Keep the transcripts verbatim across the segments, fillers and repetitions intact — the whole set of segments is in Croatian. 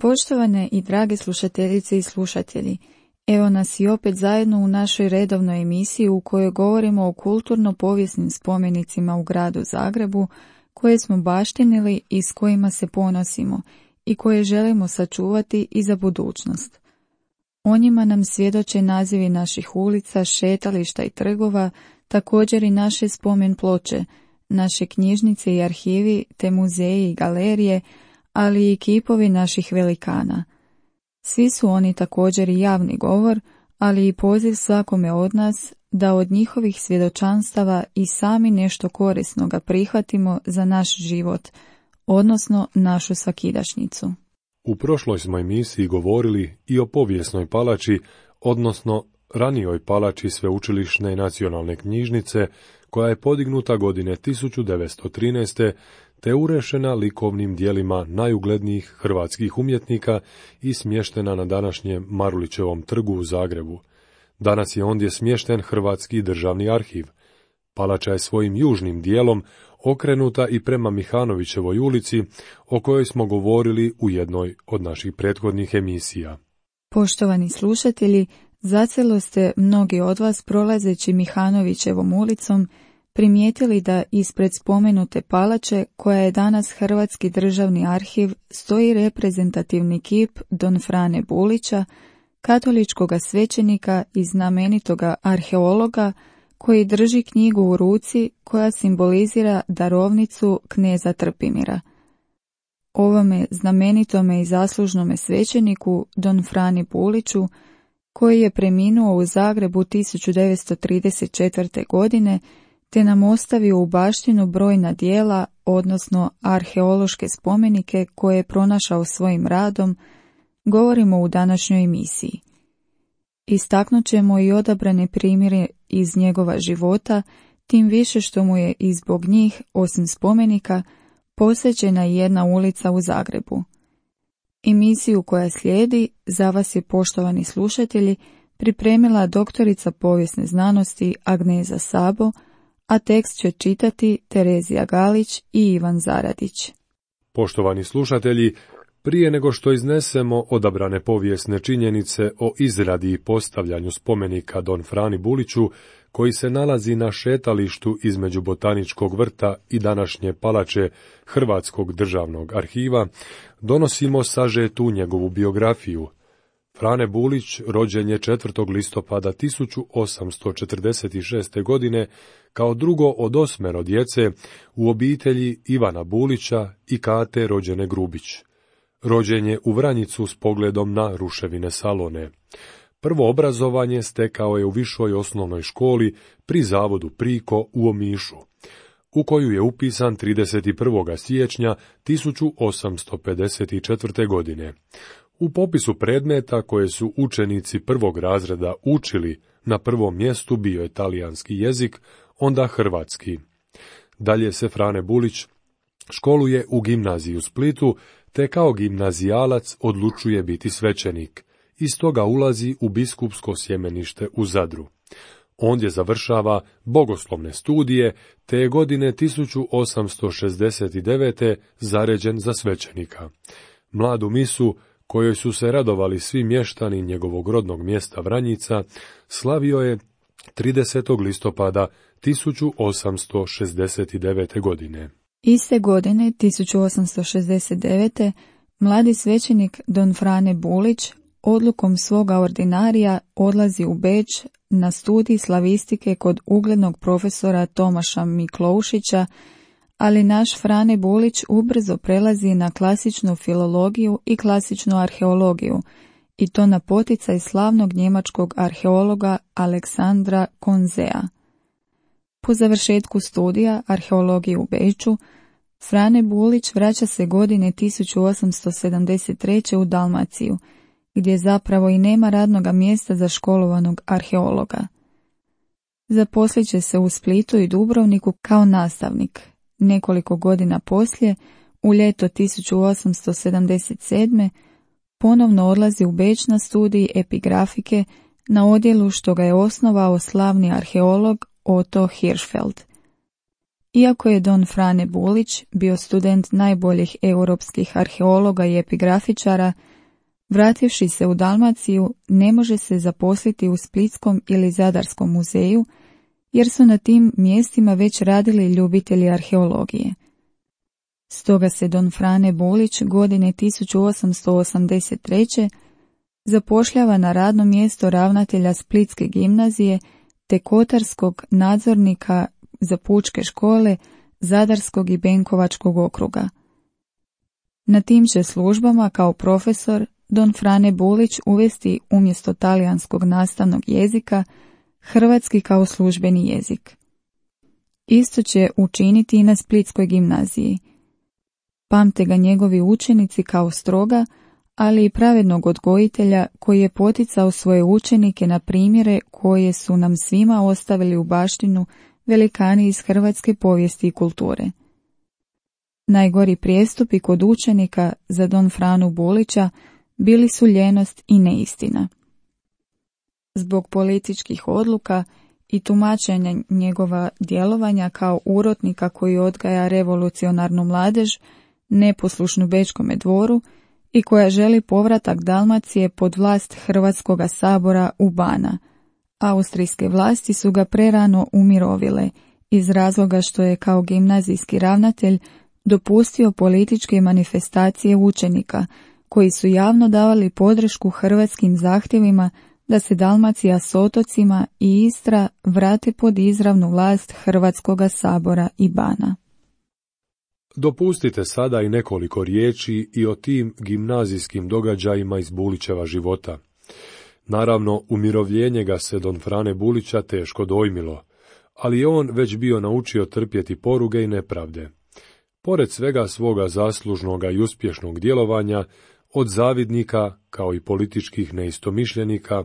Poštovane i drage slušateljice i slušatelji, evo nas i opet zajedno u našoj redovnoj emisiji u kojoj govorimo o kulturno-povijesnim spomenicima u gradu Zagrebu koje smo baštinili i s kojima se ponosimo i koje želimo sačuvati i za budućnost. O njima nam svjedoče nazivi naših ulica, šetališta i trgova, također i naše spomen ploče, naše knjižnice i arhivi, te muzeji i galerije, ali i kipovi naših velikana. Svi su oni također i javni govor, ali i poziv svakome od nas da od njihovih svjedočanstava i sami nešto korisnoga prihvatimo za naš život, odnosno našu svakidašnjicu. U prošloj smo emisiji govorili i o povijesnoj palači, odnosno ranijoj palači Sveučilišne nacionalne knjižnice, koja je podignuta godine tisuću devetsto trinaeste. te urešena likovnim dijelima najuglednijih hrvatskih umjetnika i smještena na današnjem Marulićevom trgu u Zagrebu. Danas je ondje smješten Hrvatski državni arhiv. Palača je svojim južnim dijelom okrenuta i prema Mihanovićevoj ulici, o kojoj smo govorili u jednoj od naših prethodnih emisija. Poštovani slušatelji, zacijelo ste mnogi od vas prolazeći Mihanovićevom ulicom primijetili da ispred spomenute palače, koja je danas Hrvatski državni arhiv, stoji reprezentativni kip Don Frane Bulića, katoličkoga svećenika i znamenitoga arheologa, koji drži knjigu u ruci koja simbolizira darovnicu kneza Trpimira. Ovome znamenitome i zaslužnome svećeniku Don Frani Buliću, koji je preminuo u Zagrebu tisuću devetsto trideset četvrte. godine, te nam ostavio u baštinu brojna dijela, odnosno arheološke spomenike koje je pronašao svojim radom, govorimo u današnjoj emisiji. Istaknut ćemo i odabrane primjere iz njegova života, tim više što mu je i zbog njih, osim spomenika, posvećena i jedna ulica u Zagrebu. Emisiju koja slijedi za vas je, poštovani slušatelji, pripremila doktorica povijesne znanosti Agneza Sabo, a tekst će čitati Terezija Galić i Ivan Zaradić. Poštovani slušatelji, prije nego što iznesemo odabrane povijesne činjenice o izradi i postavljanju spomenika Don Frani Buliću, koji se nalazi na šetalištu između Botaničkog vrta i današnje palače Hrvatskog državnog arhiva, donosimo sažetu njegovu biografiju. Frane Bulić rođen je četvrtog listopada tisuću osamsto četrdeset šeste. godine kao drugo od osmero djece u obitelji Ivana Bulića i Kate rođene Grubić. Rođen je u Vranjicu s pogledom na ruševine Salone. Prvo obrazovanje stekao je u višoj osnovnoj školi pri zavodu Priko u Omišu, u koju je upisan trideset prvog siječnja tisuću osamsto pedeset četvrte. godine. U popisu predmeta koje su učenici prvog razreda učili, na prvom mjestu bio je talijanski jezik, onda hrvatski. Dalje se Frane Bulić školuje u gimnaziji u Splitu, te kao gimnazijalac odlučuje biti svećenik. I stoga ulazi u biskupsko sjemenište u Zadru. Ondje završava bogoslovne studije, te je godine tisuću osamsto šezdeset devete. zaređen za svećenika. Mladu misu, kojoj su se radovali svi mještani njegovog rodnog mjesta Vranjica, slavio je tridesetog listopada tisuću osamsto šezdeset devete. godine. Iste godine, tisuću osamsto šezdeset devete. mladi svećenik Don Frane Bulić odlukom svoga ordinarija odlazi u Beč na studij slavistike kod uglednog profesora Tomaša Mikloušića, ali naš Frane Bulić ubrzo prelazi na klasičnu filologiju i klasičnu arheologiju, i to na poticaj slavnog njemačkog arheologa Aleksandra Konzea. Po završetku studija arheologije u Beču, Frane Bulić vraća se godine tisuću osamsto sedamdeset treće. u Dalmaciju, gdje zapravo i nema radnoga mjesta za školovanog arheologa. Zaposlit će se u Splitu i Dubrovniku kao nastavnik. Nekoliko godina poslije, u ljeto tisuću osamsto sedamdeset sedme. ponovno odlazi u Beč na studij epigrafike na odjelu što ga je osnovao slavni arheolog Otto Hirschfeld. Iako je Don Frane Bulić bio student najboljih europskih arheologa i epigrafičara, Vrativši se u Dalmaciju, ne može se zaposliti u Splitskom ili Zadarskom muzeju, jer su na tim mjestima već radili ljubitelji arheologije. Stoga se don Frane Bulić godine tisuću osamsto osamdeset treće zapošljava na radno mjesto ravnatelja Splitske gimnazije te kotarskog nadzornika za pučke škole Zadarskog i Benkovačkog okruga. Na tim će službama kao profesor don Frane Bulić uvesti umjesto talijanskog nastavnog jezika hrvatski kao službeni jezik. Isto će učiniti i na Splitskoj gimnaziji. Pamte ga njegovi učenici kao stroga, ali i pravednog odgojitelja koji je poticao svoje učenike na primjere koje su nam svima ostavili u baštinu velikani iz hrvatske povijesti i kulture. Najgori prijestupi kod učenika za don Franu Bulića bili su ljenost i neistina. Zbog političkih odluka i tumačenja njegova djelovanja kao urotnika koji odgaja revolucionarnu mladež, neposlušnu Bečkome dvoru i koja želi povratak Dalmacije pod vlast Hrvatskoga sabora u Bana, austrijske vlasti su ga prerano umirovile iz razloga što je kao gimnazijski ravnatelj dopustio političke manifestacije učenika koji su javno davali podršku hrvatskim zahtjevima da se Dalmacija s otocima i Istra vrate pod izravnu vlast Hrvatskoga sabora i Bana. Dopustite sada i nekoliko riječi i o tim gimnazijskim događajima iz Bulićeva života. Naravno, umirovljenje ga se don Frane Bulića teško dojmilo, ali je on već bio naučio trpjeti poruge i nepravde. Pored svega svoga zaslužnoga i uspješnog djelovanja, od zavidnika, kao i političkih neistomišljenika,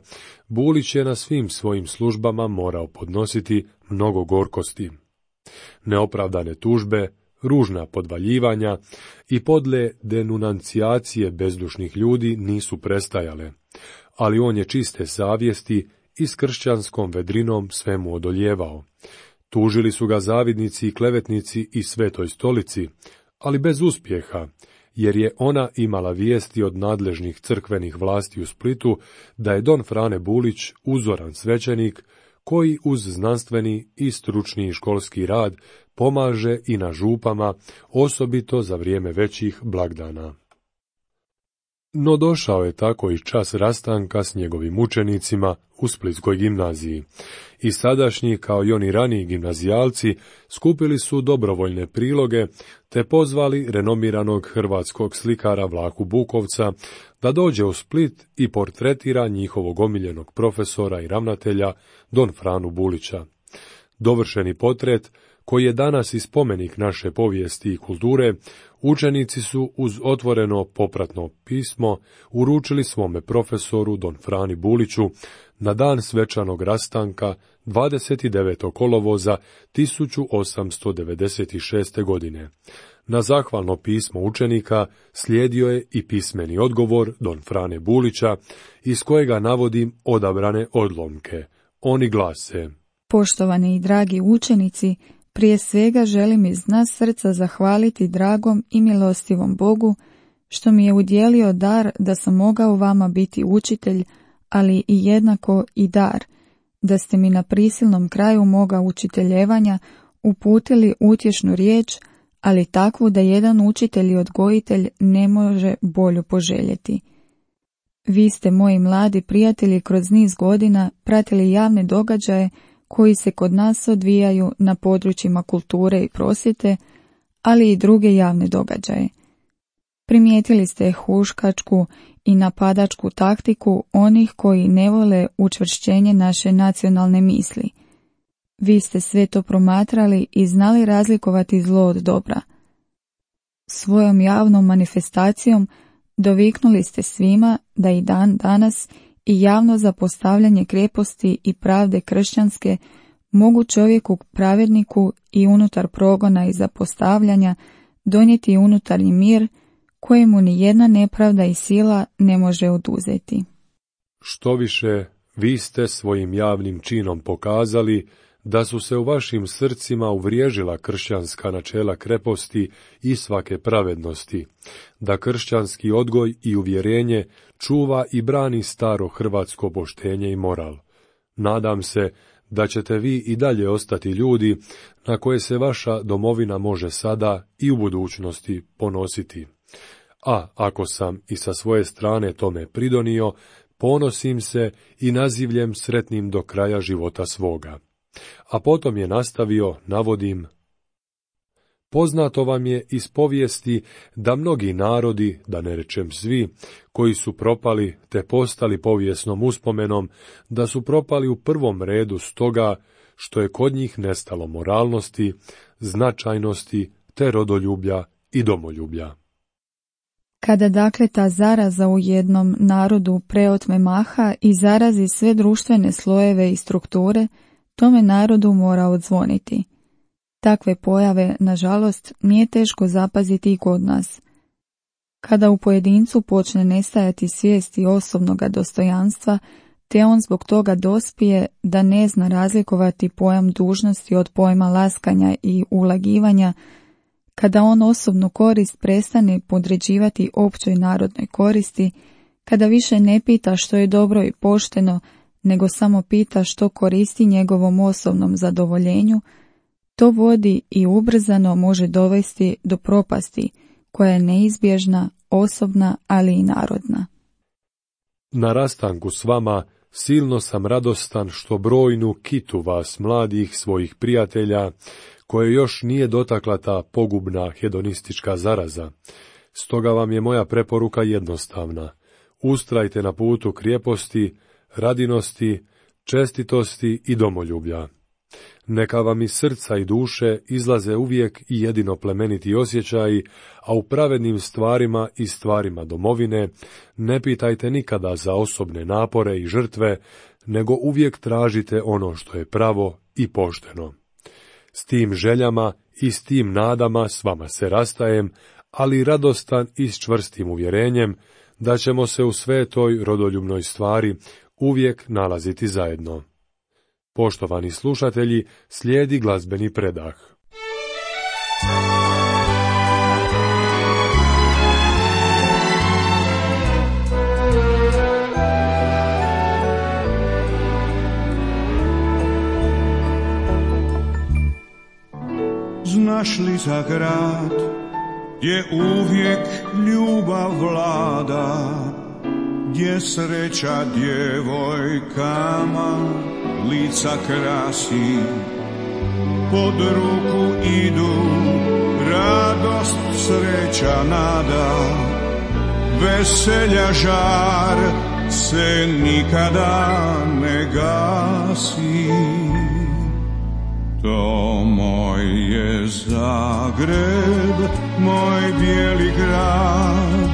Bulić je na svim svojim službama morao podnositi mnogo gorkosti. Neopravdane tužbe, ružna podvaljivanja i podle denunancijacije bezdušnih ljudi nisu prestajale, ali on je čiste savjesti i s kršćanskom vedrinom svemu odoljevao. Tužili su ga zavidnici i klevetnici i Svetoj stolici, ali bez uspjeha, jer je ona imala vijesti od nadležnih crkvenih vlasti u Splitu da je don Frane Bulić uzoran svećenik koji uz znanstveni i stručni školski rad pomaže i na župama, osobito za vrijeme većih blagdana. No došao je tako i čas rastanka s njegovim učenicima u Splitskoj gimnaziji. I sadašnji, kao i oni raniji gimnazijalci, skupili su dobrovoljne priloge, te pozvali renomiranog hrvatskog slikara Vlahu Bukovca da dođe u Split i portretira njihovog omiljenog profesora i ravnatelja don Franu Bulića. Dovršeni portret, koji je danas i spomenik naše povijesti i kulture, učenici su uz otvoreno popratno pismo uručili svome profesoru don Frani Buliću na dan svečanog rastanka dvadeset devetog kolovoza tisuću osamsto devedeset šeste. godine. Na zahvalno pismo učenika slijedio je i pismeni odgovor don Frane Bulića, iz kojega navodim odabrane odlomke. Oni glase: Poštovani i dragi učenici, prije svega želim iz dna srca zahvaliti dragom i milostivom Bogu što mi je udjelio dar da sam mogao vama biti učitelj, ali i jednako i dar, da ste mi na prisilnom kraju moga učiteljevanja uputili utješnu riječ, ali takvu da jedan učitelj i odgojitelj ne može bolju poželjeti. Vi ste, moji mladi prijatelji, kroz niz godina pratili javne događaje koji se kod nas odvijaju na područjima kulture i prosvjete, ali i druge javne događaje. Primijetili ste huškačku i napadačku taktiku onih koji ne vole učvršćenje naše nacionalne misli. Vi ste sve to promatrali i znali razlikovati zlo od dobra. Svojom javnom manifestacijom doviknuli ste svima da i dan danas i javno zapostavljanje kreposti i pravde kršćanske mogu čovjeku pravedniku i unutar progona i zapostavljanja donijeti unutarnji mir kojemu ni jedna nepravda i sila ne može oduzeti. Što više, vi ste svojim javnim činom pokazali da su se u vašim srcima uvriježila kršćanska načela kreposti i svake pravednosti, da kršćanski odgoj i uvjerenje čuva i brani staro hrvatsko poštenje i moral. Nadam se da ćete vi i dalje ostati ljudi na koje se vaša domovina može sada i u budućnosti ponositi. A ako sam i sa svoje strane tome pridonio, ponosim se i nazivljem sretnim do kraja života svoga. A potom je nastavio, navodim: poznato vam je iz povijesti da mnogi narodi, da ne rečem svi, koji su propali te postali povijesnom uspomenom, da su propali u prvom redu stoga što je kod njih nestalo moralnosti, značajnosti te rodoljublja i domoljublja. Kada dakle ta zaraza u jednom narodu preotme maha i zarazi sve društvene slojeve i strukture, tome narodu mora odzvoniti. Takve pojave, nažalost, nije teško zapaziti i kod nas. Kada u pojedincu počne nestajati svijesti osobnoga dostojanstva, te on zbog toga dospije da ne zna razlikovati pojam dužnosti od pojma laskanja i ulagivanja, kada on osobnu korist prestane podređivati općoj narodnoj koristi, kada više ne pita što je dobro i pošteno, nego samo pita što koristi njegovom osobnom zadovoljenju, to vodi i ubrzano može dovesti do propasti, koja je neizbježna, osobna, ali i narodna. Na rastanku s vama silno sam radostan što brojnu kitu vas, mladih svojih prijatelja, koje još nije dotakla ta pogubna hedonistička zaraza. Stoga vam je moja preporuka jednostavna. Ustrajte na putu krijeposti, radinosti, čestitosti i domoljublja. Neka vam iz srca i duše izlaze uvijek i jedino plemeniti osjećaji, a u pravednim stvarima i stvarima domovine ne pitajte nikada za osobne napore i žrtve, nego uvijek tražite ono što je pravo i pošteno. S tim željama i s tim nadama s vama se rastajem, ali radostan i s čvrstim uvjerenjem da ćemo se u svetoj rodoljubnoj stvari uvijek nalaziti zajedno. Poštovani slušatelji, slijedi glazbeni predah. Znaš li za grad gdje uvijek ljubav vlada, gdje sreća djevojkama lica krasi, pod ruku idu radost, sreća, nada, veselja žar se nikada ne gasi. To moj je Zagreb, moj bijeli grad,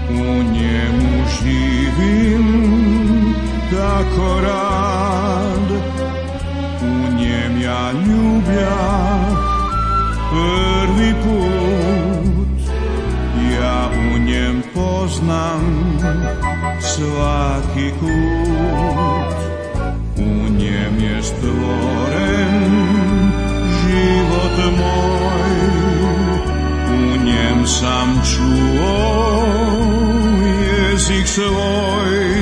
u njemu živim tako rad, u njem ja ljubljah prvi put, ja u njem poznam svaki kut, u njem je stvoren život moj, u njem sam čuo jezik svoj.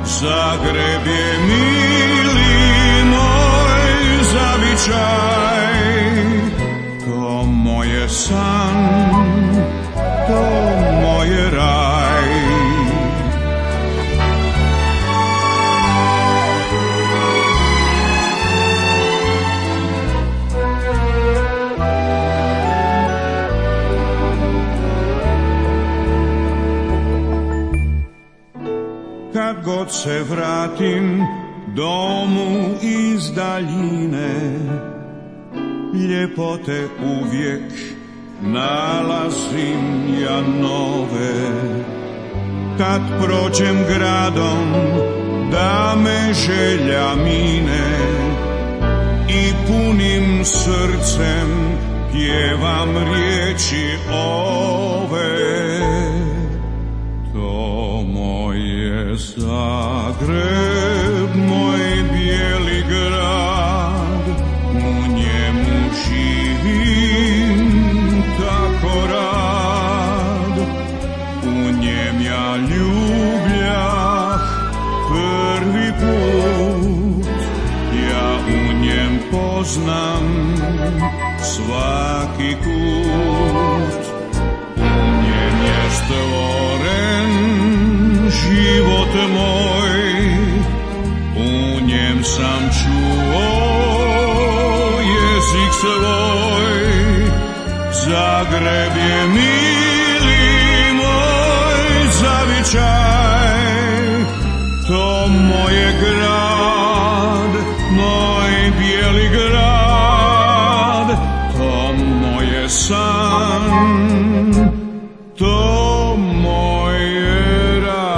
Zagreb je mili moj zavičaj, to moje san, to moje raj. Kad god se vratim domu iz daljine, ljepote uvijek nalazim ja nove. Kad prođem gradom da me želja mine i punim srcem pjevam riječi ove. Zagreb, moj bijeli grad, poznam svaki kut. U njem je stvoren život moj, u njem sam čuo jezik svoj. Zagreb je mili moj zavičaj, to moje grad, moj bijeli grad, to moje san, to moje raj.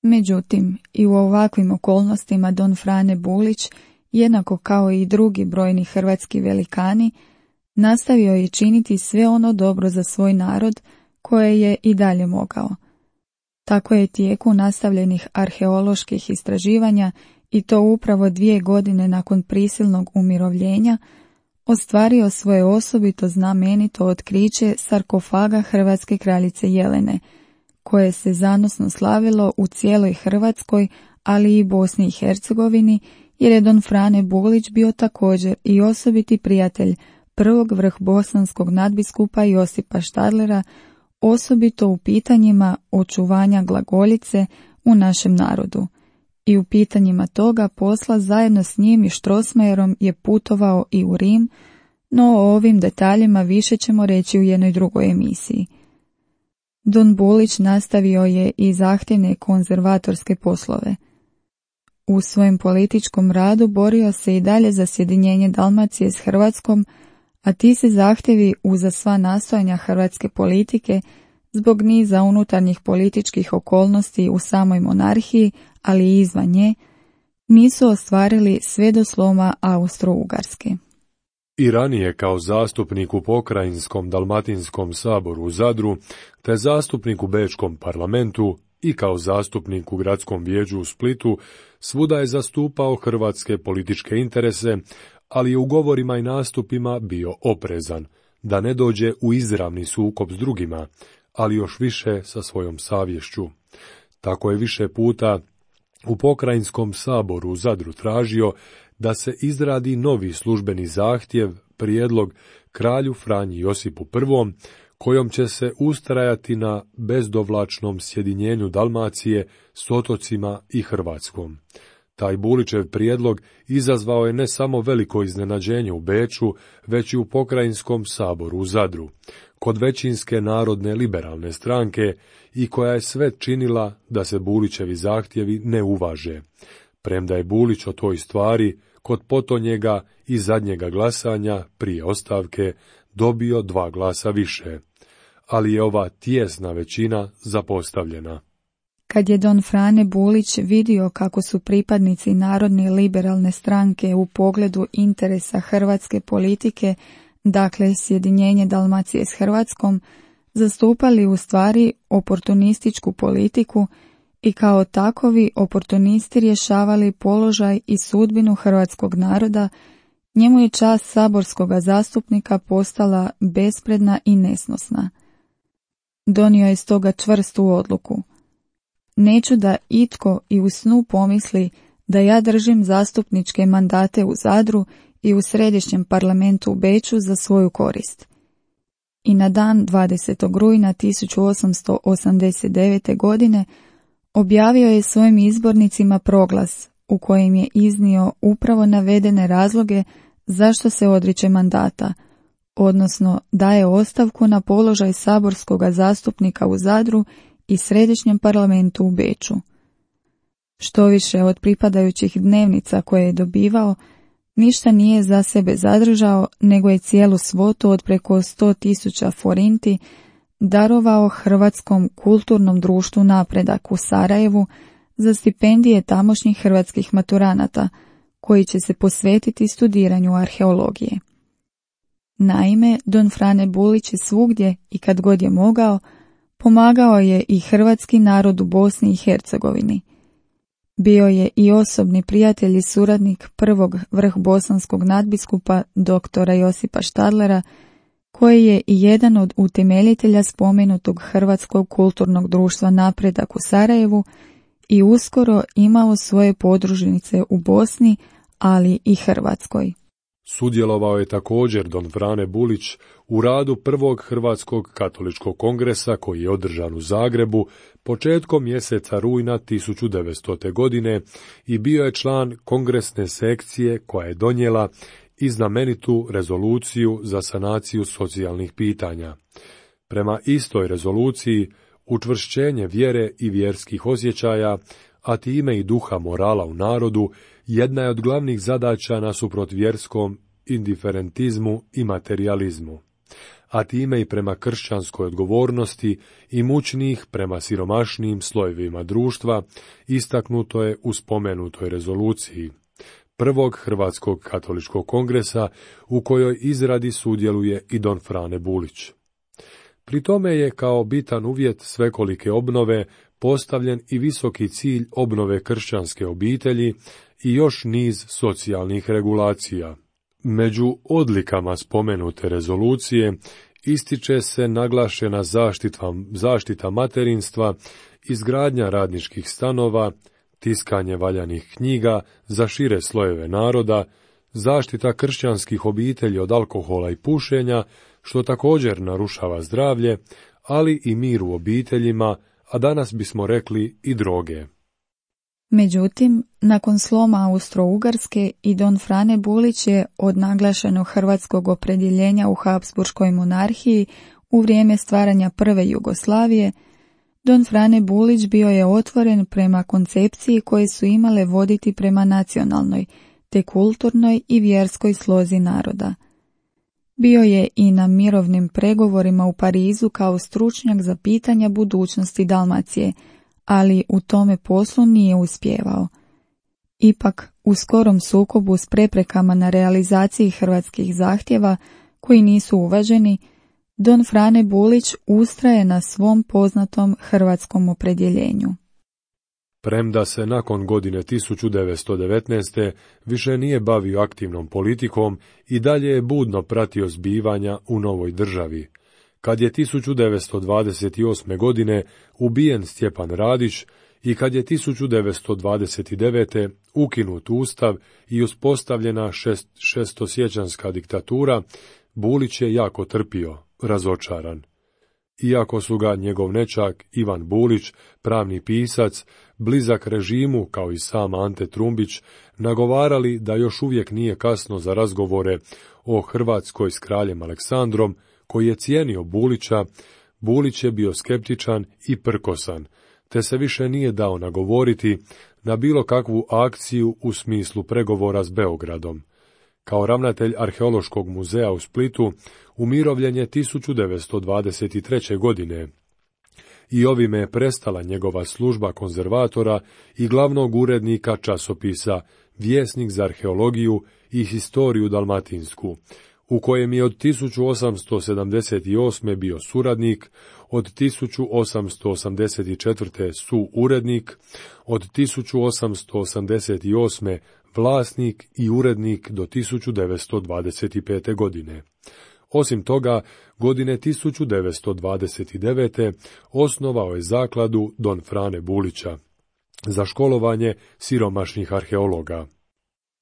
Međutim, i u ovakvim okolnostima Don Frane Bulić, jednako kao i drugi brojni hrvatski velikani, nastavio je činiti sve ono dobro za svoj narod koje je i dalje mogao. Tako je tijeku nastavljenih arheoloških istraživanja, i to upravo dvije godine nakon prisilnog umirovljenja, ostvario svoje osobito znamenito otkriće sarkofaga hrvatske kraljice Jelene, koje se zanosno slavilo u cijeloj Hrvatskoj, ali i Bosni i Hercegovini, jer je Don Frane Bulić bio također i osobiti prijatelj prvog vrhbosanskog nadbiskupa Josipa Štadlera, osobito u pitanjima očuvanja glagoljice u našem narodu. I u pitanjima toga posla zajedno s njim i Strossmayerom je putovao i u Rim, no o ovim detaljima više ćemo reći u jednoj drugoj emisiji. Don Bulić nastavio je i zahtjevne konzervatorske poslove. U svojem političkom radu borio se i dalje za sjedinjenje Dalmacije s Hrvatskom, a ti se zahtjevi uza sva nastojanja hrvatske politike zbog niza unutarnjih političkih okolnosti u samoj monarhiji, ali i izvan nje, nisu ostvarili sve do sloma Austro-Ugarske. I ranije kao zastupnik u pokrajinskom Dalmatinskom saboru u Zadru, te zastupnik u Bečkom parlamentu i kao zastupnik u gradskom vijeću u Splitu, svuda je zastupao hrvatske političke interese, ali je u govorima i nastupima bio oprezan, da ne dođe u izravni sukob s drugima, ali još više sa svojom savješću. Tako je više puta u pokrajinskom saboru u Zadru tražio da se izradi novi službeni zahtjev, prijedlog kralju Franji Josipu Prvom, kojom će se ustrajati na bezdovlačnom sjedinjenju Dalmacije s otocima i Hrvatskom. Taj Bulićev prijedlog izazvao je ne samo veliko iznenađenje u Beču, već i u pokrajinskom saboru u Zadru, kod većinske narodne liberalne stranke, i koja je sve činila da se Bulićevi zahtjevi ne uvaže, premda je Bulić o toj stvari kod potonjega i zadnjega glasanja prije ostavke dobio dva glasa više, ali je ova tijesna većina zapostavljena. Kad je Don Frane Bulić vidio kako su pripadnici Narodne liberalne stranke u pogledu interesa hrvatske politike, dakle sjedinjenje Dalmacije s Hrvatskom, zastupali u stvari oportunističku politiku i kao takovi oportunisti rješavali položaj i sudbinu hrvatskog naroda, njemu je čast saborskoga zastupnika postala bespredna i nesnosna. Donio je stoga čvrstu odluku. Neću da itko i u snu pomisli da ja držim zastupničke mandate u Zadru i u središnjem parlamentu u Beču za svoju korist. I na dan dvadesetog rujna tisuću osamsto osamdeset devete. godine objavio je svojim izbornicima proglas u kojem je iznio upravo navedene razloge zašto se odriče mandata, odnosno daje ostavku na položaj saborskoga zastupnika u Zadru i središnjem parlamentu u Beču. Štoviše od pripadajućih dnevnica koje je dobivao, ništa nije za sebe zadržao, nego je cijelu svotu od preko sto tisuća forinti darovao Hrvatskom kulturnom društvu Napredak u Sarajevu za stipendije tamošnjih hrvatskih maturanata, koji će se posvetiti studiranju arheologije. Naime, Don Frane Bulić je svugdje i kad god je mogao, pomagao je i hrvatski narod u Bosni i Hercegovini. Bio je i osobni prijatelj i suradnik prvog vrhbosanskog nadbiskupa doktora Josipa Štadlera koji je i jedan od utemeljitelja spomenutog Hrvatskog kulturnog društva Napredak u Sarajevu i uskoro imao svoje podružnice u Bosni, ali i Hrvatskoj. Sudjelovao je također don Frane Bulić u radu prvog Hrvatskog katoličkog kongresa koji je održan u Zagrebu početkom mjeseca rujna tisuću devetstote. godine i bio je član kongresne sekcije koja je donijela i znamenitu rezoluciju za sanaciju socijalnih pitanja. Prema istoj rezoluciji, učvršćenje vjere i vjerskih osjećaja, a time i duha morala u narodu, jedna je od glavnih zadaća nasuprot vjerskom indiferentizmu i materializmu, a time i prema kršćanskoj odgovornosti i mučnih prema siromašnijim slojevima društva, istaknuto je u spomenutoj rezoluciji prvog Hrvatskog katoličkog kongresa u kojoj izradi sudjeluje i don Frane Bulić. Pri tome je kao bitan uvjet svekolike obnove postavljen i visoki cilj obnove kršćanske obitelji i još niz socijalnih regulacija. Među odlikama spomenute rezolucije ističe se naglašena zaštita, zaštita materinstva, izgradnja radničkih stanova, tiskanje valjanih knjiga za šire slojeve naroda, zaštita kršćanskih obitelji od alkohola i pušenja, što također narušava zdravlje, ali i mir u obiteljima, a danas bismo rekli i droge. Međutim, nakon sloma Austro-Ugarske i don Frane Bulić je od naglašenog hrvatskog opredjeljenja u Habsburškoj monarhiji u vrijeme stvaranja prve Jugoslavije, don Frane Bulić bio je otvoren prema koncepciji koje su imale voditi prema nacionalnoj, te kulturnoj i vjerskoj slozi naroda. Bio je i na mirovnim pregovorima u Parizu kao stručnjak za pitanja budućnosti Dalmacije, ali u tome poslu nije uspijevao. Ipak, u skorom sukobu s preprekama na realizaciji hrvatskih zahtjeva, koji nisu uvaženi, don Frane Bulić ustraje na svom poznatom hrvatskom opredjeljenju. Premda se nakon godine tisuću devetsto devetnaeste. više nije bavio aktivnom politikom i dalje je budno pratio zbivanja u novoj državi. Kad je tisuću devetsto dvadeset osme. godine ubijen Stjepan Radić i kad je tisuću devetsto dvadeset devete. ukinut ustav i uspostavljena šest, šestosjećanska diktatura, Bulić je jako trpio, razočaran. Iako su ga njegov nećak Ivan Bulić, pravni pisac, blizak režimu kao i sam Ante Trumbić, nagovarali da još uvijek nije kasno za razgovore o Hrvatskoj s kraljem Aleksandrom, koji je cijenio Bulića, Bulić je bio skeptičan i prkosan, te se više nije dao nagovoriti na bilo kakvu akciju u smislu pregovora s Beogradom. Kao ravnatelj Arheološkog muzeja u Splitu umirovljen je tisuću devetsto dvadeset treće. godine i ovime je prestala njegova služba konzervatora i glavnog urednika časopisa Vjesnik za arheologiju i historiju dalmatinsku, u kojem je od tisuću osamsto sedamdeset osme. bio suradnik, od tisuću osamsto osamdeset četvrte. suurednik, od tisuću osamsto osamdeset osme. vlasnik i urednik do tisuću devetsto dvadeset pete. godine. Osim toga, godine tisuću devetsto dvadeset devete. osnovao je zakladu don Frane Bulića za školovanje siromašnih arheologa.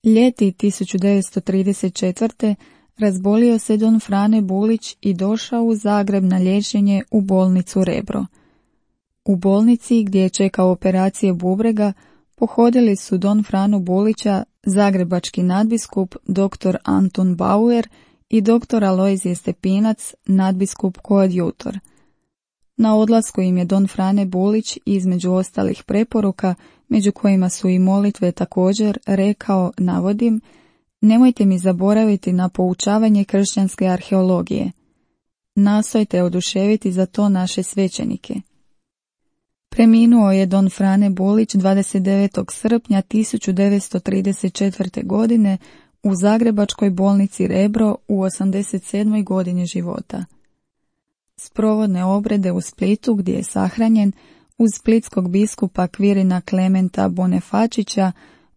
Ljeti tisuću devetsto trideset četvrte. razbolio se don Frane Bulić i došao u Zagreb na liječenje u bolnicu Rebro. U bolnici, gdje je čekao operacije bubrega, pohodili su don Franu Bulića zagrebački nadbiskup dr. Antun Bauer i dr. Alojzije Stepinac, nadbiskup koadjutor. Na odlasku im je don Frane Bulić, između ostalih preporuka, među kojima su i molitve također, rekao, navodim, nemojte mi zaboraviti na poučavanje kršćanske arheologije. Nastojte oduševiti za to naše svećenike. Preminuo je don Frane Bulić dvadeset devetog srpnja tisuću devetsto trideset četvrte. godine u zagrebačkoj bolnici Rebro u osamdeset sedmoj. godini života. Sprovodne obrede u Splitu, gdje je sahranjen, uz splitskog biskupa Kvirina Klementa Bonefačića,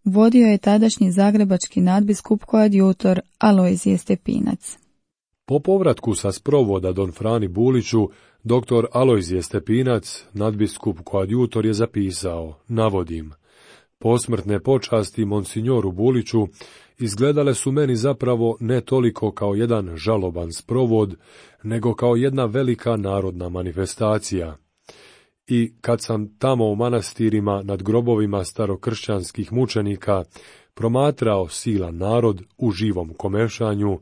vodio je tadašnji zagrebački nadbiskup koadjutor Alojzije Stepinac. Po povratku sa sprovoda Don Frani Buliću, doktor Alojzije Stepinac, nadbiskup koadjutor, je zapisao, navodim, posmrtne počasti monsignoru Buliću izgledale su meni zapravo ne toliko kao jedan žaloban sprovod, nego kao jedna velika narodna manifestacija. I kad sam tamo u manastirima nad grobovima starokršćanskih mučenika promatrao silan narod u živom komešanju,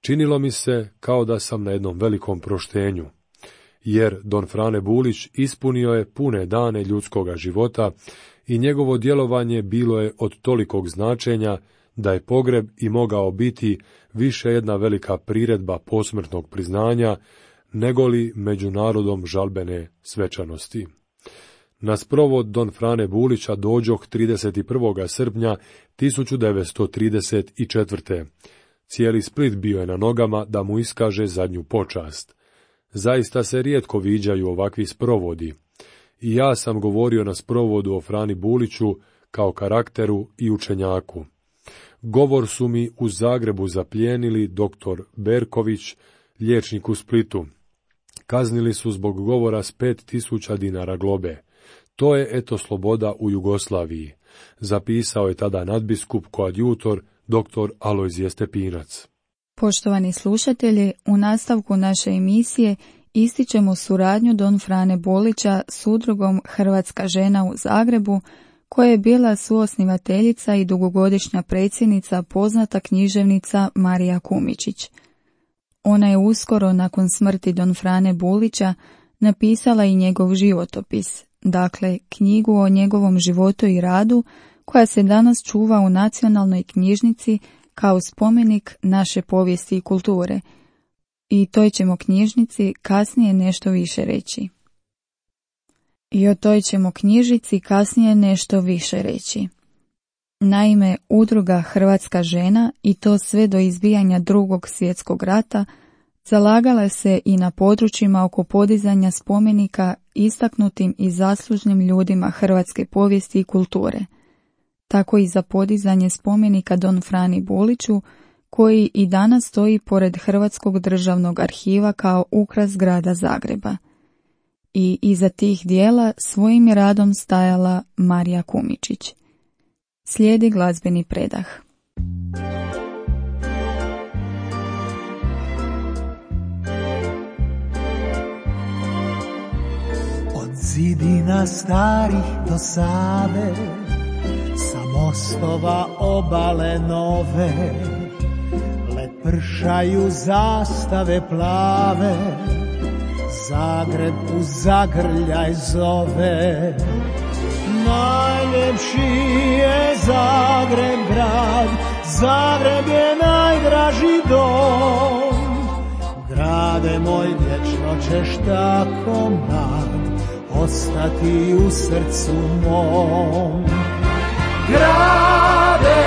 činilo mi se kao da sam na jednom velikom proštenju, jer Don Frane Bulić ispunio je pune dane ljudskoga života i njegovo djelovanje bilo je od tolikog značenja da je pogreb i mogao biti više jedna velika priredba posmrtnog priznanja, negoli među narodom žalbene svečanosti. Na sprovod Don Frane Bulića dođoh trideset prvog srpnja tisuću devetsto trideset četvrte. Cijeli Split bio je na nogama da mu iskaže zadnju počast. Zaista se rijetko viđaju ovakvi sprovodi. I ja sam govorio na sprovodu o Frani Buliću kao karakteru i učenjaku. Govor su mi u Zagrebu zaplijenili doktor Berković, liječnik u Splitu. Kaznili su zbog govora s pet tisuća dinara globe. To je eto sloboda u Jugoslaviji, zapisao je tada nadbiskup koadjutor doktor Alojzije Stepinac. Poštovani slušatelji, u nastavku naše emisije ističemo suradnju Don Frane Bulića s udrugom Hrvatska žena u Zagrebu, koja je bila suosnivateljica i dugogodišnja predsjednica poznata književnica Marija Kumičić. Ona je uskoro nakon smrti Don Frane Bulića napisala i njegov životopis, dakle knjigu o njegovom životu i radu, koja se danas čuva u Nacionalnoj knjižnici kao spomenik naše povijesti i kulture. I toj ćemo knjižnici kasnije nešto više reći. I o toj ćemo knjižnici kasnije nešto više reći. Naime, udruga Hrvatska žena, i to sve do izbijanja Drugog svjetskog rata, zalagala se i na područjima oko podizanja spomenika istaknutim i zaslužnim ljudima hrvatske povijesti i kulture. Tako i za podizanje spomenika Don Frani Buliću, koji i danas stoji pored Hrvatskog državnog arhiva kao ukras grada Zagreba. I iza tih dijela svojim je radom stajala Marija Kumičić. Slijedi glazbeni predah. Od zidina starih do Save, sa mostova obale nove, lepršaju zastave plave, Zagreb u zagrljaj zove. Najljepši je Zagreb grad, Zagreb je najdraži dom. Grade moj, vječno ćeš tako mlad ostati u srcu mom. Grade,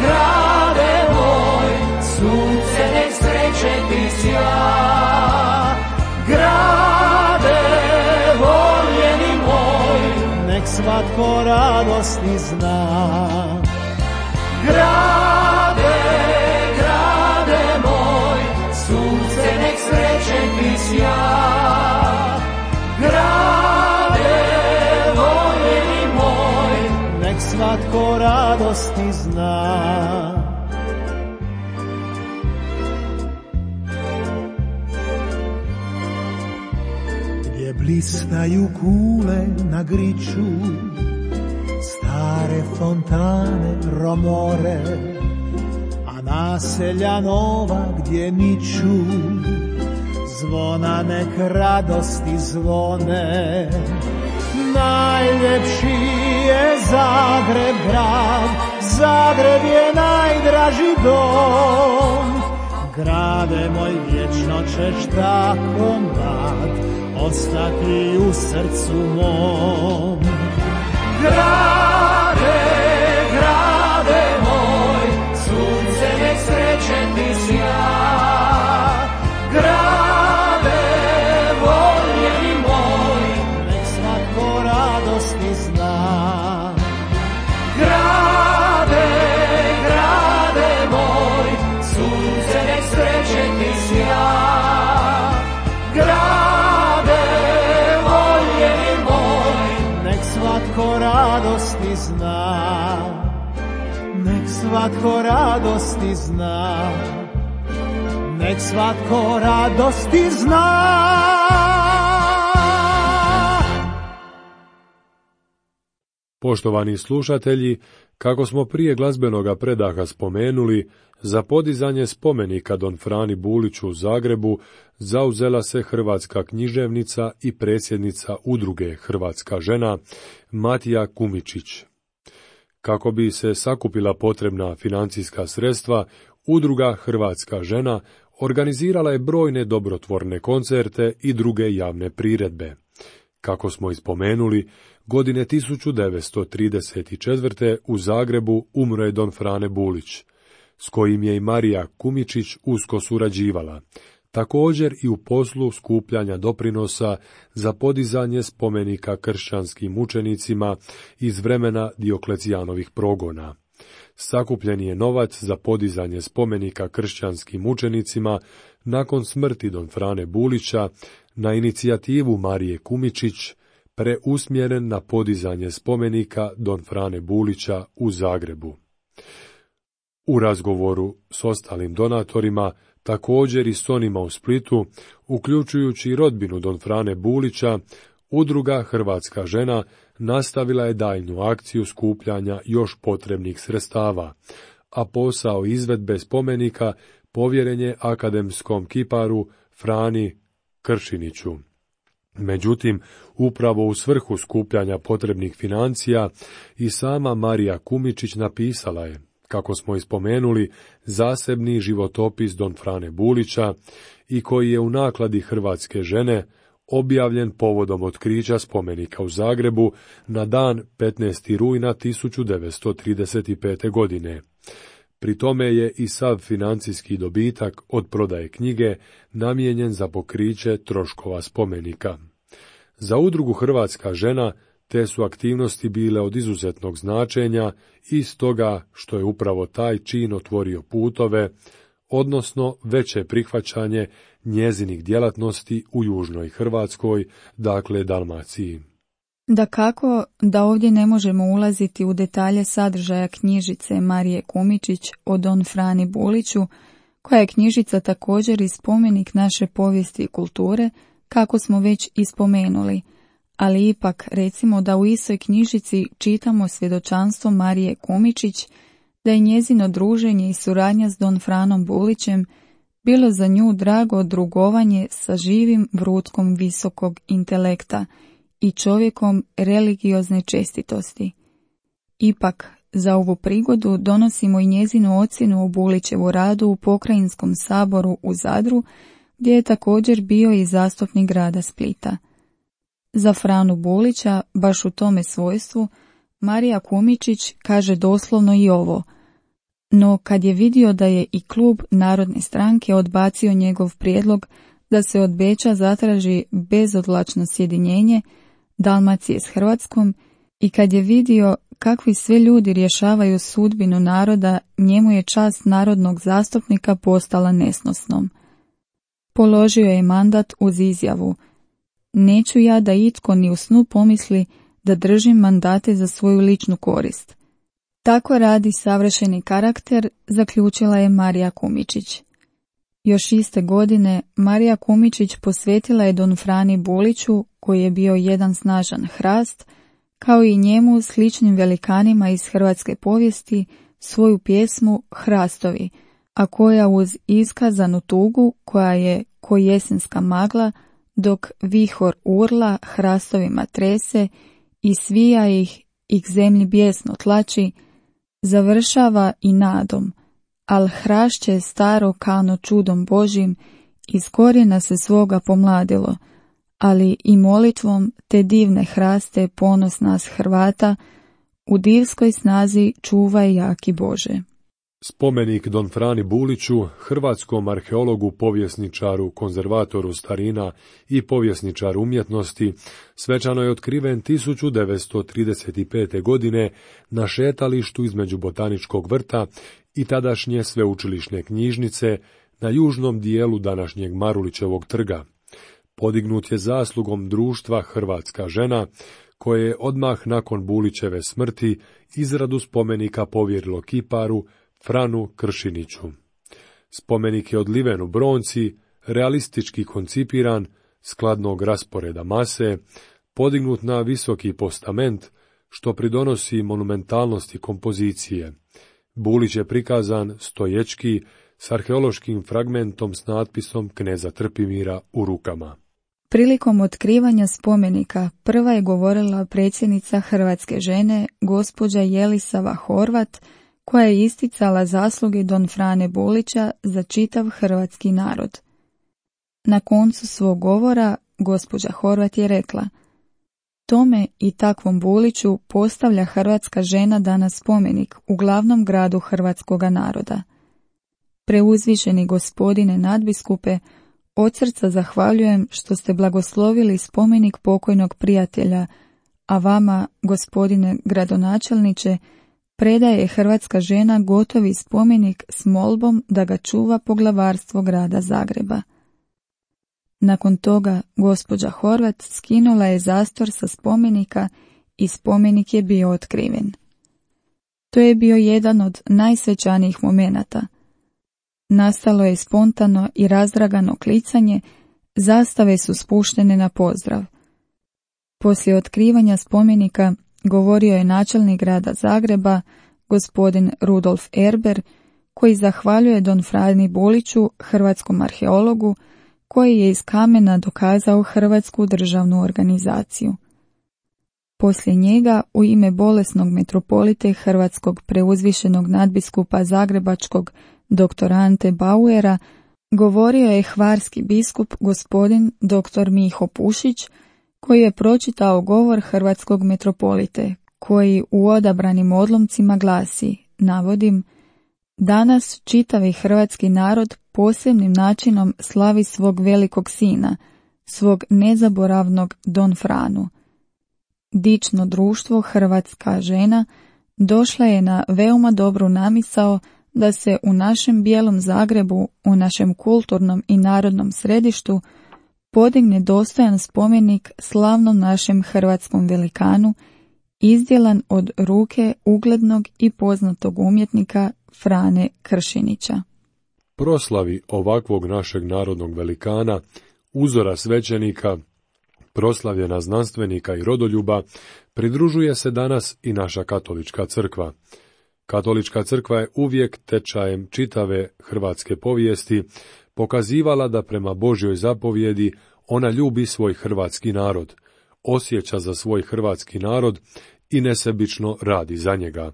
grade moj, sunce nek sreće ti sja. Grade, voljeni moj, nek svatko radosti zna. Grade, grade moj, sunce nek sreće ti sja. Grade, voljeni moj, nek svatko radosti zna. Blistaju kule na griču, stare fontane romore, a naselja nova gdje niču, zvona nek radosti zvone. Najljepši je Zagreb grad, Zagreb je najdraži dom. Grade moj, vječno ćeš tako mlad ostati u srcu mom. Grade, grade moj, sunce nek sreće ti sja. Grade, voljeni moj, nek svatko radosti zna. Grade, grade moj, sunce nek sreće ti sja. radosti zna, nek svatko radosti zna, nek svatko radosti zna. Poštovani slušatelji, kako smo prije glazbenoga predaha spomenuli, za podizanje spomenika Don Frani Buliću u Zagrebu zauzela se hrvatska književnica i predsjednica udruge Hrvatska žena Matija Kumičić. Kako bi se sakupila potrebna financijska sredstva, udruga Hrvatska žena organizirala je brojne dobrotvorne koncerte i druge javne priredbe. Kako smo ispomenuli, godine tisuću devetsto trideset četvrte. u Zagrebu umro je Don Frane Bulić, s kojim je i Marija Kumičić usko surađivala, također i u poslu skupljanja doprinosa za podizanje spomenika kršćanskim mučenicima iz vremena Dioklecijanovih progona. Sakupljen je novac za podizanje spomenika kršćanskim mučenicima nakon smrti Don Frane Bulića na inicijativu Marije Kumičić, preusmjeren na podizanje spomenika Don Frane Bulića u Zagrebu. U razgovoru s ostalim donatorima, također i s onima u Splitu, uključujući i rodbinu Don Frane Bulića, udruga Hrvatska žena nastavila je daljnju akciju skupljanja još potrebnih sredstava, a posao izvedbe spomenika povjeren je akademskom kiparu Frani Kršiniću. Međutim, upravo u svrhu skupljanja potrebnih financija i sama Marija Kumičić napisala je, kako smo ispomenuli, zasebni životopis Don Frane Bulića i koji je u nakladi Hrvatske žene objavljen povodom otkrića spomenika u Zagrebu na dan petnaestog rujna tisuću devetsto trideset pete. godine. Pri tome je i sav financijski dobitak od prodaje knjige namijenjen za pokriće troškova spomenika. Za udrugu Hrvatska žena te su aktivnosti bile od izuzetnog značenja i stoga što je upravo taj čin otvorio putove, odnosno veće prihvaćanje njezinih djelatnosti u južnoj Hrvatskoj, dakle Dalmaciji. Dakako da ovdje ne možemo ulaziti u detalje sadržaja knjižice Marije Kumičić o Don Frani Buliću, koja je knjižica također i spomenik naše povijesti i kulture, kako smo već ispomenuli, ali ipak recimo da u istoj knjižici čitamo svjedočanstvo Marije Kumičić, da je njezino druženje i suradnja s Don Franom Bulićem bilo za nju drago drugovanje sa živim vrutkom visokog intelekta i čovjekom religiozne čestitosti. Ipak, za ovu prigodu donosimo i njezinu ocjenu o Bulićevu radu u Pokrajinskom saboru u Zadru, gdje je također bio i zastupnik grada Splita. Za Franu Bulića, baš u tome svojstvu, Marija Kumičić kaže doslovno i ovo: no kad je vidio da je i klub Narodne stranke odbacio njegov prijedlog da se od Beča zatraži bezodlačno sjedinjenje Dalmacije s Hrvatskom i kad je vidio kakvi sve ljudi rješavaju sudbinu naroda, njemu je čast narodnog zastupnika postala nesnosnom. Položio je mandat uz izjavu: neću ja da itko ni u snu pomisli da držim mandate za svoju ličnu korist. Tako radi savršeni karakter, zaključila je Marija Kumičić. Još iste godine Marija Kumičić posvetila je Don Frani Buliću, koji je bio jedan snažan hrast, kao i njemu sličnim velikanima iz hrvatske povijesti, svoju pjesmu Hrastovi, a koja uz iskazanu tugu, koja je ko jesenska magla, dok vihor urla hrastovima trese i svija ih i k zemlji bijesno tlači, završava i nadom: al hrašće staro kano čudom Božim iz korijena se svoga pomladilo, ali i molitvom te divne hraste ponos nas Hrvata u divskoj snazi čuvaj jaki Bože. Spomenik Don Frani Buliću, hrvatskom arheologu, povjesničaru, konzervatoru starina i povjesničaru umjetnosti, svečano je otkriven tisuću devetsto trideset pete. godine na šetalištu između Botaničkog vrta i tadašnje sveučilišne knjižnice na južnom dijelu današnjeg Marulićevog trga. Podignut je zaslugom društva Hrvatska žena, koje je odmah nakon Bulićeve smrti izradu spomenika povjerilo kiparu Franu Kršiniću. Spomenik je odliven u bronci, realistički koncipiran, skladnog rasporeda mase, podignut na visoki postament, što pridonosi monumentalnosti kompozicije. Bulić je prikazan stoječki, s arheološkim fragmentom s natpisom kneza Trpimira u rukama. Prilikom otkrivanja spomenika prva je govorila predsjednica Hrvatske žene, gospođa Jelisava Horvat, koja je isticala zasluge don Frane Bulića za čitav hrvatski narod. Na koncu svog govora gospođa Horvat je rekla: tome i takvom Buliću postavlja hrvatska žena danas spomenik u glavnom gradu hrvatskoga naroda. Preuzvišeni gospodine nadbiskupe, od srca zahvaljujem što ste blagoslovili spomenik pokojnog prijatelja, a vama, gospodine gradonačelniče, predaje hrvatska žena gotovi spomenik s molbom da ga čuva poglavarstvo grada Zagreba. Nakon toga gospođa Horvat skinula je zastor sa spomenika i spomenik je bio otkriven. To je bio jedan od najsvečanijih momenata. Nastalo je spontano i razdragano klicanje, zastave su spuštene na pozdrav. Poslije otkrivanja spomenika govorio je načelnik grada Zagreba, gospodin Rudolf Erber, koji zahvaljuje don Frani Buliću, hrvatskom arheologu, koji je iz kamena dokazao hrvatsku državnu organizaciju. Poslije njega, u ime bolesnog metropolite hrvatskog preuzvišenog nadbiskupa zagrebačkog doktora Ante Bauera, govorio je hvarski biskup gospodin doktor Miho Pušić, koji je pročitao govor hrvatskog metropolite, koji u odabranim odlomcima glasi, navodim: danas čitavi hrvatski narod posebnim načinom slavi svog velikog sina, svog nezaboravnog don Franu. Dično društvo hrvatska žena došla je na veoma dobru namisao da se u našem bijelom Zagrebu, u našem kulturnom i narodnom središtu, podigne dostojan spomenik slavnom našem hrvatskom velikanu, izdjelan od ruke uglednog i poznatog umjetnika Frane Kršinića. Proslavi ovakvog našeg narodnog velikana, uzora svećenika, proslavljena znanstvenika i rodoljuba, pridružuje se danas i naša katolička crkva. Katolička crkva je uvijek tečajem čitave hrvatske povijesti pokazivala da prema Božjoj zapovjedi ona ljubi svoj hrvatski narod, osjeća za svoj hrvatski narod i nesebično radi za njega.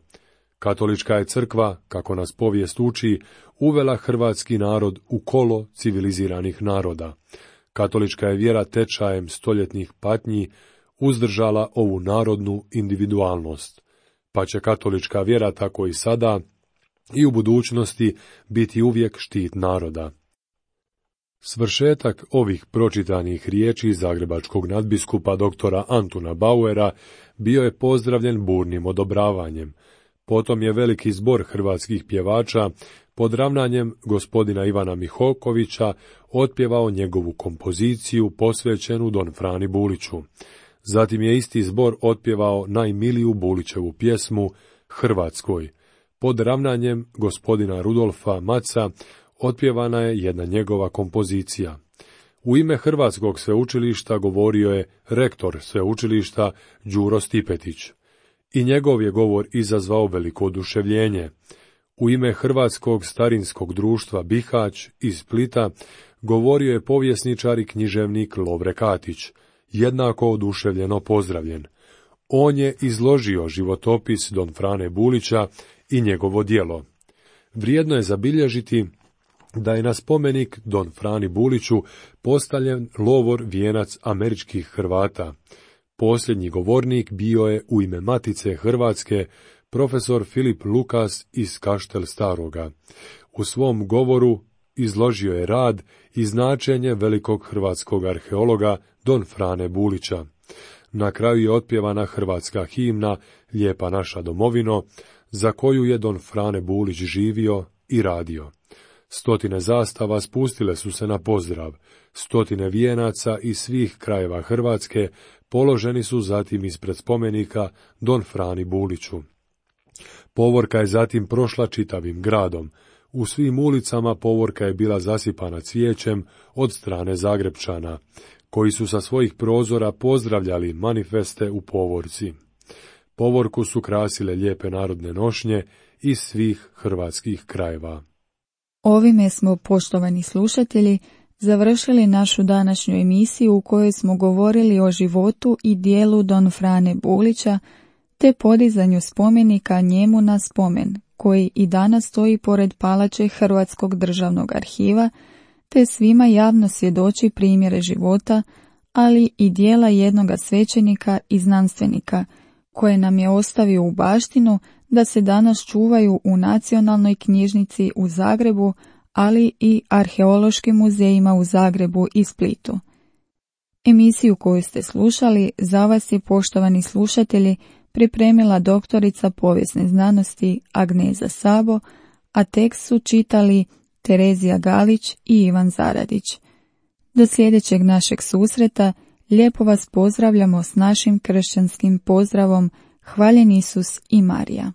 Katolička je crkva, kako nas povijest uči, uvela hrvatski narod u kolo civiliziranih naroda. Katolička je vjera tečajem stoljetnih patnji uzdržala ovu narodnu individualnost, pa će katolička vjera tako i sada i u budućnosti biti uvijek štit naroda. Svršetak ovih pročitanih riječi zagrebačkog nadbiskupa doktora Antuna Bauera bio je pozdravljen burnim odobravanjem. Potom je veliki zbor hrvatskih pjevača pod ravnanjem gospodina Ivana Mihokovića otpjevao njegovu kompoziciju posvećenu don Frani Buliću. Zatim je isti zbor otpjevao najmiliju Bulićevu pjesmu Hrvatskoj. Pod ravnanjem gospodina Rudolfa Maca otpjevana je jedna njegova kompozicija. U ime Hrvatskog sveučilišta govorio je rektor sveučilišta Đuro Stipetić. I njegov je govor izazvao veliko oduševljenje. U ime Hrvatskog starinskog društva Bihać iz Splita govorio je povjesničar i književnik Lovre Katić, jednako oduševljeno pozdravljen. On je izložio životopis don Frane Bulića i njegovo djelo. Vrijedno je zabilježiti da je na spomenik don Frani Buliću postavljen lovor vijenac američkih Hrvata. Posljednji govornik bio je u ime Matice Hrvatske profesor Filip Lukas iz Kaštel Staroga. U svom govoru izložio je rad i značenje velikog hrvatskog arheologa don Frane Bulića. Na kraju je otpjevana hrvatska himna Lijepa naša domovino, za koju je don Frane Bulić živio i radio. Stotine zastava spustile su se na pozdrav, stotine vijenaca iz svih krajeva Hrvatske položeni su zatim ispred spomenika Don Frani Buliću. Povorka je zatim prošla čitavim gradom. U svim ulicama povorka je bila zasipana cvijećem od strane Zagrepčana, koji su sa svojih prozora pozdravljali manifeste u povorci. Povorku su krasile lijepe narodne nošnje iz svih hrvatskih krajeva. Ovime smo, poštovani slušatelji, završili našu današnju emisiju u kojoj smo govorili o životu i dijelu Don Frane Bulića, te podizanju spomenika njemu na spomen, koji i danas stoji pored palače Hrvatskog državnog arhiva, te svima javno svjedoči primjere života, ali i dijela jednoga svećenika i znanstvenika, koje nam je ostavio u baštinu da se danas čuvaju u Nacionalnoj knjižnici u Zagrebu, ali i arheološkim muzejima u Zagrebu i Splitu. Emisiju koju ste slušali za vas je, poštovani slušatelji, pripremila doktorica povijesne znanosti Agneza Sabo, a tekst su čitali Terezija Galić i Ivan Zaradić. Do sljedećeg našeg susreta lijepo vas pozdravljamo s našim kršćanskim pozdravom Hvaljen Isus i Marija.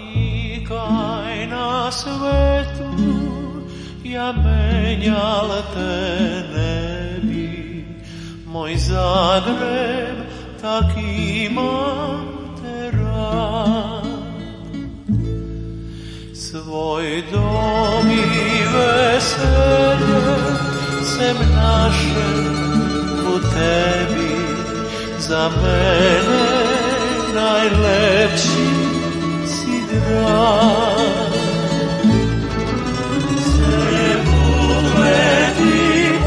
Zanikaj na svetu, ja menjal te ne bi, moj Zagreb tak imam te rad. Svoj dom i veselje sem naše u tebi, za mene najlepši si drag. Sve bugleti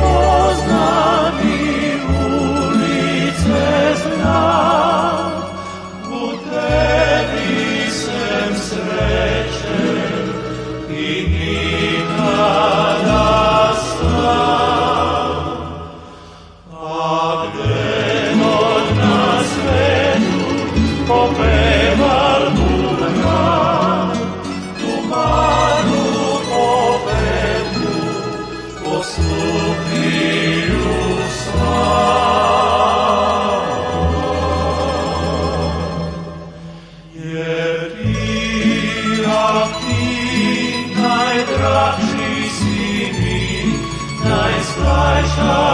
poznam i ulice znam, u tebi sem srećen i nikada sam. A gde god na svetu popeval burka, tu manu popeku posluhiju sva. Jer ti, a ti, najdraži si mi, najstajša